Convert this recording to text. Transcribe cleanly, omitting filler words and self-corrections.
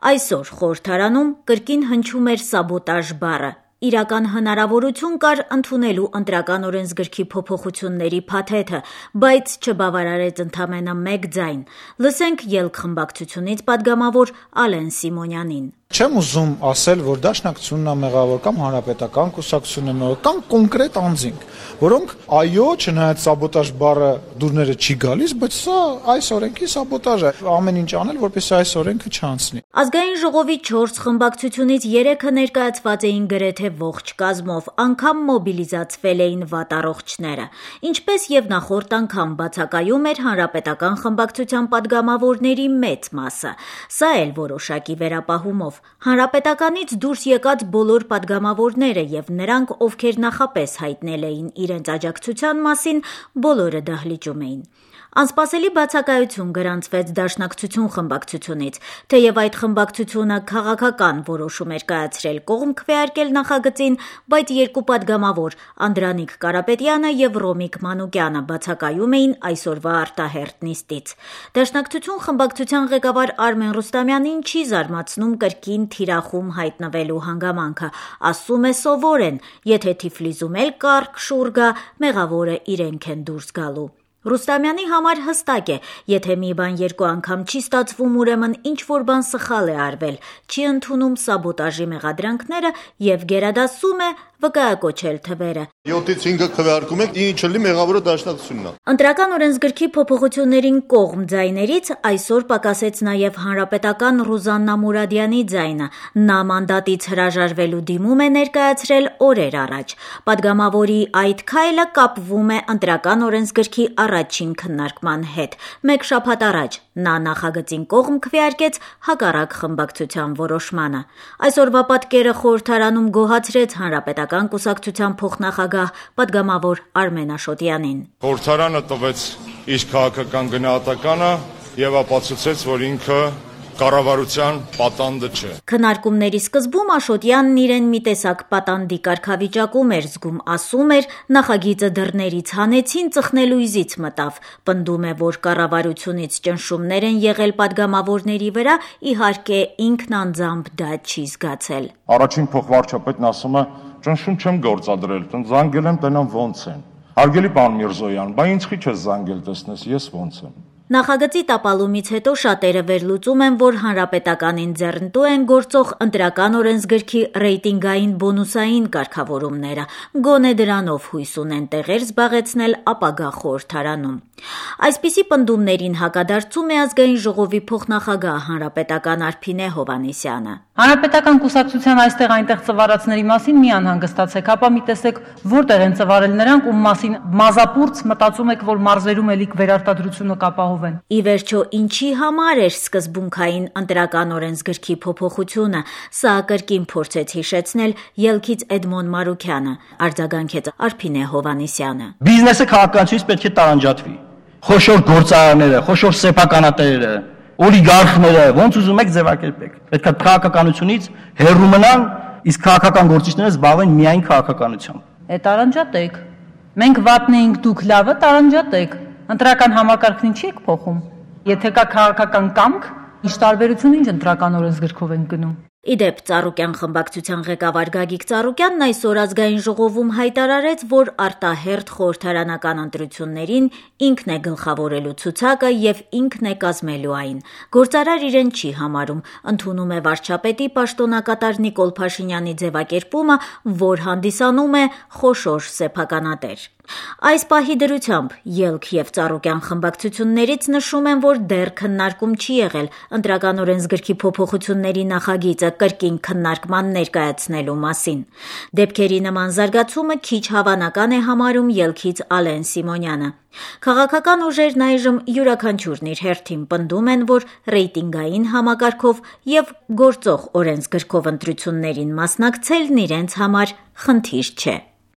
Այսօր խորհրդարանում կրկին հնչում էր սաբոտաժ բառը։ Իրական հնարավորություն կար ընդունելու ընտրական օրենսգրքի փոփոխությունների փաթեթը, բայց չբավարարեց ընդամենը մեկ ձայն։ Լսենք ելք խմբակցությունից падգամավոր Ալեն Սիմոնյանին։ Չեմ ուզում ասել, որ Դաշնակցությունն է մեղավոր կամ Հանրապետական կուսակցությունն է մեղավոր կամ կոնկրետ անձինք, որոնք այո, չնայած սաբոտաժ բառը դուրները չի գալիս, բայց սա այս օրենքի սաբոտաժ է, ամեն ինչ անել, որպեսզի այս օրենքը չանցնի։ Ազգային ժողովի 4 խմբակցությունից 3-ը ներկայացված էին գրեթե ողջ կազմով, անգամ մոբիլիզացվել էին վատառողջները։ Ինչպես եւ նախորդ անգամ բացակայում էր Հանրապետական խմբակցության падգամավորների մեծ մասը, սա էլ որոշակի վերապահումով։ Հանրապետականից դուրս եկած բոլոր падգամավորները եւ նրանք, ովքեր նախապես հայտնել էին իրենց աջակցության մասին, բոլորը դահլիճում էին։ Անսպասելի բացակայություն գրանցվեց Դաշնակցություն խմբակցությունից, թեև այդ խմբակցությունը քաղաքական որոշում էր կայացրել կողմ քվեարկել նախագծին, բայց երկու падգամավոր Անդրանիկ Կարապետյանը եւ Ռոմիկ Մանուկյանը բացակայում էին այսօրվա արտահերթ նիստից։ Դաշնակցություն խմբակցության ղեկավար Արմեն Ռուստամյանին չի զարմացնում կրկին թիրախում հայտնվելու հանգամանքը, ասում է սովոր են, եթե Թիֆլիսում էլ կառք շուռ գա, մեղավորը իրենք են դուրս գալու։ Ռուստամյանի համար հստակ է, եթե մի բան երկու անգամ չի ստացվում, ուրեմն ինչ-որ բան սխալ է արվել, չի ընդունում սաբոտաժի մեղադրանքները եւ գերադասում է վկայակոչել թվերը։ 7-ից 5-ը քվեարկում եք, ինչը լի մեղավորը Դաշնակցությունն է։ Ընտրական օրենսգրքի փոփոխություններին կողմ ձայներից այսօր պակասեց նաեւ հանրապետական Ռուզաննա Մուրադյանի ձայնը։ Նա մանդատից հրաժարվելու դիմում է ներկայացրել օրեր առաջ։ Падգամավորի այդ քայլը կապվում է ընտրական օրենսգրքի առաջին քննարկման հետ։ Մեկ շաբաթ առաջ նա նախագծին կողմ քվեարկեց հակառակ խմբակցության որոշմանը։ Այսօրվա պատկերը խորհրդարանում գոհացրեց Հանրապետական կուսակցության փոխնախագահ падգամավոր Արմեն Աշոտյանին։ Խորհրդարանը տվեց իր քաղաքական գնահատականը եւ ապացուցեց, որ ինքը կառավարության պատանդը չէ։ Քննարկումների սկզբում Աշոտյանն իրեն մի տեսակ պատանդի կարգավիճակում էր զգում, ասում էր, նախագիծը դռներից հանեցին, ծխնելույզից մտավ։ Պնդում է, որ կառավարությունից ճնշումներ են եղել падգամավորների վրա, իհարկե ինքն անձամբ դա չի զգացել։ Առաջին փոխվարչապետն ասում է, ճնշում չեմ գործադրել, զանգել եմ, տենամ ոնց են։ Հարգելի պարոն Միրզոյան, բա ինձ խի չես զանգել, տեսնես, ես ոնց եմ։ Նախագծի տապալումից հետո շատերը վերլուծում են, որ հանրապետականին ձեռնտու են գործող ընտրական օրենսգրքի ռեյտինգային բոնուսային կարգավորումները, գոնե դրանով հույս ունեն տեղեր զբաղեցնել ապագա խորհրդարանում։ Այսպիսի պնդումներին հակադարձում է Ազգային ժողովի փոխնախագահ հանրապետական Արփինե Հովհաննիսյանը։ Հանրապետական կուսակցության այստեղ այնտեղ ծվարածների մասին մի անհանգստացեք, հապա մի տեսեք որտեղ են ծվարել նրանք, ում մասին մազապուրց մտածում եք, որ մարզերում էլիք վերարտադրությունը կապահովեն։ Ի վերջո, ինչի համար էր սկզբունքային ընտրական օրենսգրքի փոփոխությունը, սա կրկին փորձեց հիշեցնել ելքից Էդմոն Մարուքյանը, արձագանքեց Արփինե Հովհաննիսյանը։ Բիզնեսը քաղաքականությունից պետք է տարանջատվի։ Խոշոր գործարանները, խոշոր սեփականատերերը, օլիգարխները, ոնց ուզում եք ձևակերպեք։ Պետք է քաղաքականությունից հեռու մնան, իսկ քաղաքական գործիչները զբաղվեն միայն քաղաքականությամբ։ Տարանջատեք։ Մենք վատն էինք, դուք լավը, տարանջատեք։ Ընտրական համակարգն ինչի եք փոխում։ Եթե կա քաղաքական կամք, ինչ տարբերություն ինչ ընտրական օրենսգրքով ենք գնում։ Իդեպ Ծառուկյան խմբակցության ղեկավար Գագիկ Ծառուկյանն այսօր Ազգային ժողովում հայտարարեց, որ արտահերթ խորհրդարանական ընտրություններին ինքն է գլխավորելու ցուցակը եւ ինքն է կազմելու այն։ Գործարար իրեն չի համարում, ընդունում է վարչապետի պաշտոնակատար Նիկոլ Փաշինյանի ձևակերպումը, որ հանդիսանում է խոշոր սեփականատեր։ Այս պահի դրությամբ ելք եւ Ծառուկյան խմբակցություններից նշում են, որ դեռ քննարկում չի եղել ընտրական օրենսգրքի փոփոխությունների նախագիծը կրկին քննարկման ներկայացնելու մասին։ Դեպքերի նման զարգացումը քիչ հավանական է համարում ելքից Ալեն Սիմոնյանը։ Քաղաքական ուժերն այժմ յուրաքանչյուրն իր հերթին պնդում են, որ ռեյտինգային համակարգով եւ գործող օրենսգրքով ընտրություններին մասնակցելն իրենց համար խնդիր չէ։